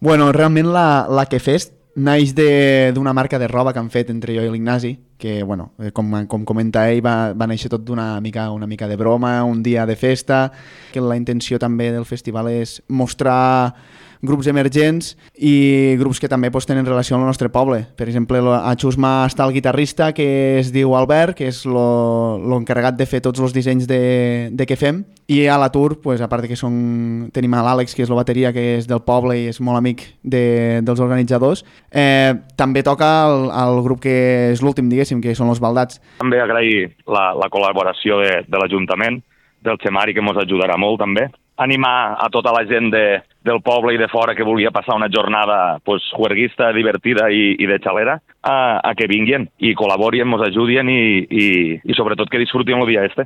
Bueno, realment la Que Fest naix d'una marca de roba que han fet entre jo i l'Ignasi, que, bueno, com comenta ell, va néixer tot una mica de broma, un dia de festa, que la intenció també del festival és mostrar grups emergents i grups que també tenen relació amb el nostre poble. Per exemple, a Xusma està el guitarrista, que es diu Albert, que és l'encarregat de fer tots els dissenys de què fem, i a l'atur, a part que tenim a l'Àlex, que és la bateria, que és del poble i és molt amic dels organitzadors. També toca el grup que és l'últim, diguéssim, que són els Baldats. També agrair la col·laboració de l'Ajuntament, del Xemari, que ens ajudarà molt també. Animar a tota la gent del poble i de fora que volia passar una jornada juerguista, divertida i de xalera, a que vinguin i col·laborin, ens ajudin i sobretot que disfrutin el dia este.